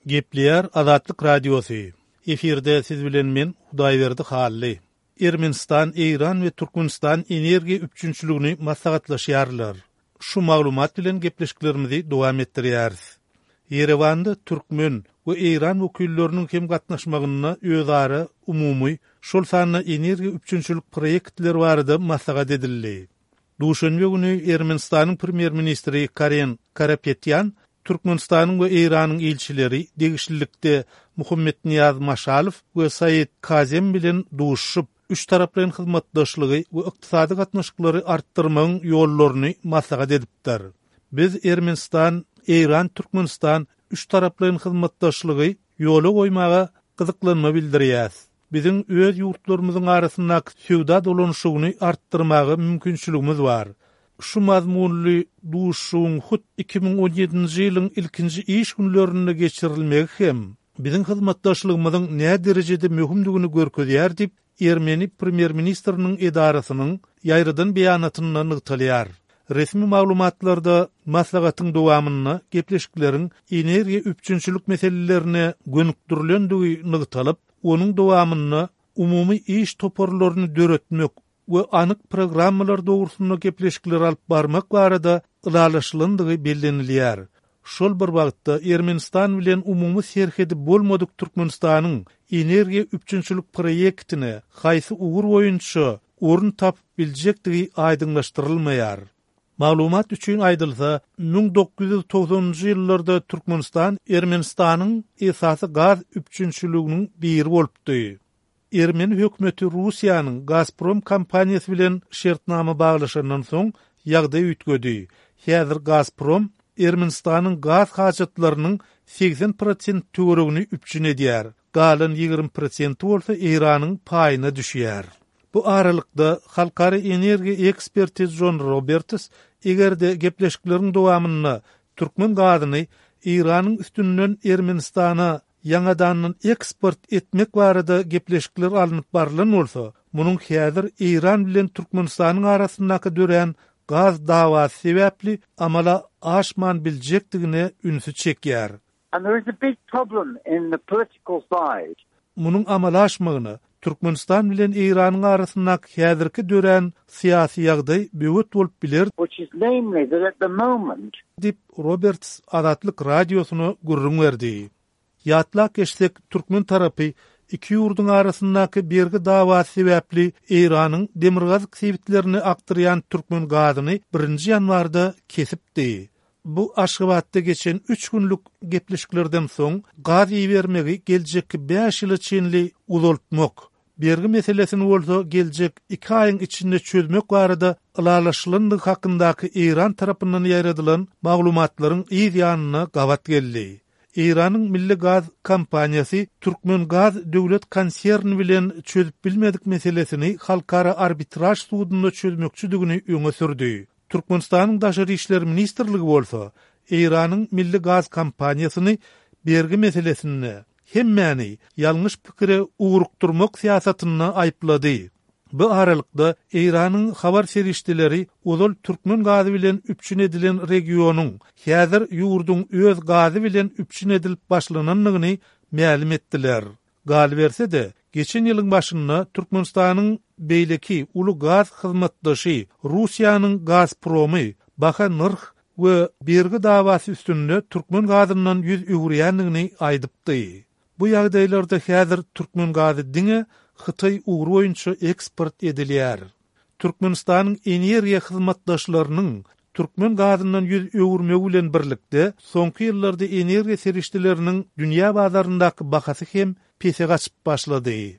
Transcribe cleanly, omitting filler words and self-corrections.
Gepleýär Azatlyk Radiosy. Efirde siz bilen men Hudaýberdi Hally. Ermenistan, Eýran we Türkmenistan energiýa üpjünçiligini maslahatlaşýarlar. Şu maglumat bilen gepleşiklerimizi dowam etdirýäris. Ýerewanda türkmen we eýran wekilleriniň hem gatnaşmagynda özara umumy, şol sanda energiýa üpjünçilik proýektleri barada maslahat edildi. Duşenbe güni Ermenistanyň premýer-ministri Karen Karapetýan Türkmenistanyň we Eýranyň ilçileri, degişlilikde Muhammetnyýaz Maşalow we Said Kazem bilen duşuşyp, üçtaraplaýyn hyzmatdaşlygy we ykdysady gatnaşyklary artdyrmagyň ýollaryny maslahat edipdir. Biz Ermenistan, Eýran, Türkmenistan üçtaraplaýyn hyzmatdaşlygy ýola goýmaga gyzyklanma bildirýäs. Biziň öz ýurtlarymyzyň arasyndaky söwda dolanyşygyny artdyrmaga mümkinçiligimiz bar. Şu mazmunly duşuşygyň hut 2017-nji ýylyň ilkinji iş günlerinde geçirilmegi hem biziň hyzmatdaşlygymyzyň näderejede möhümdigini görkezýär diýip, ermeni premýer-ministriniň edarasynyň ýaýradan beýanatynda nygtalýar. Resmi maglumatlarda maslahatyň dowamynda gepleşikleriň energiýa üpjünçilik meselelerine gönükdirilendigi nygtalyp, onuň dowamynda umumy iş toparlaryny döretmek we anyk programmalar dogrusynda gepleşikleri alyp barmak barada ylalaşylandygy bellenilýär. Şol bir wagtda, Ermenistan bilen umumy serhedi bolmadyk Türkmenistanyň energiýa üpjünçilik proýektine haýsy ugur boýunça orun tapyp biljekdigi aýdyňlaşdyrylmaýar. Maglumat üçin aýdylsa, 1990-njy ýyllarda Türkmenistan Ermenistanyň esasy gaz üpjünçiliginiň biri bolupdy. Ermeni hökümeti Russiýanyň Gazprom kompaniýasy bilen şertnama baglaşandan soň ýagdaý üýtgedi. Häzir Gazprom Ermenistanyň gaz hajatlarynyň 80 prosent töweregini üpjün edýär, galan 20 prosenti bolsa Eýranyň paýyna düşýär. Bu aralykda, halkara energiýa eksperti Jon Roberts eger-de gepleşikleriň dowamynda türkmen gazyny Eýranyň üstünden Ermenistana ýaňadandan eksport etmek barada gepleşikler alnyp barlan bolsa, munuň häzir Eýran bilen Türkmenistanyň arasyndaky dörän gaz dawasy sebäpli amala aşman biljekdigine ünsi çekýär. And there is a big problem in the political side. Munuň amala aşmagyna Türkmenistan bilen Eýranyň arasyndaky häzirki dörän syýasy ýagdaý böwet bolup biler, which is namely that at the moment. Diýip, Roberts Azatlyk Radiosyna gürrüň berdi. Ýatlap geçsek, türkmen tarapy iki ýurduň arasyndaky bergi dawasy sebäpli Eýranyň demirgazyk sebitlerine akdyrýan türkmen gazyny birinji ýanwarda kesipdi. Bu Aşgabatda geçen üç günlük gepleşiklerden soň gaz ibermegi geljekki bäş ýyla çenli uzaltmak, bergi meselesini bolsa geljek iki aýyň içinde çözmek barada ylalaşylandygy hakyndaky Eýran tarapyndan ýaýradylan maglumatlaryň yz ýanyna gabat geldi. Eýranyň milli gaz kompaniýasy Türkmengaz döwlet konserni bilen çözüp bilmedik meselesini halkara arbitraž sudunda çözmekçidigini öňe sürdi. Türkmenistanyň Daşary işler ministrligi bolsa Eýranyň milli gaz kompaniýasyny bergi meselesinde hemmäni ýalňyş pikire ugrukdyrmak syýasatynda aýyplady. Bu aralykda, Eýranyň habar serişdeleri ozal türkmen gazy bilen üpjün edilen regionyň häzir ýurduň öz gazy bilen üpjün edilip başlanandygyny mälim etdiler. Galyberse-de, geçen ýylyň başynda Türkmenistanyň beýleki uly gaz hyzmatdaşy Russiýanyň Gazpromy baha nyrh we bergi dawasy üstünde türkmen gazyndan ýüz öwürýändigini aýdypdy. Bu ýagdaýlarda häzir türkmen gazy diňe Hytaý ugry boýunça eksport edilýär. Türkmenistanyň energiýa hyzmatdaşlarynyň türkmen gazyndan ýüz öwürmegi bilen birlikde, soňky ýyllarda energiýa serişdeleriniň dünýä bazaryndaky bahasy hem pese gaçyp başlady.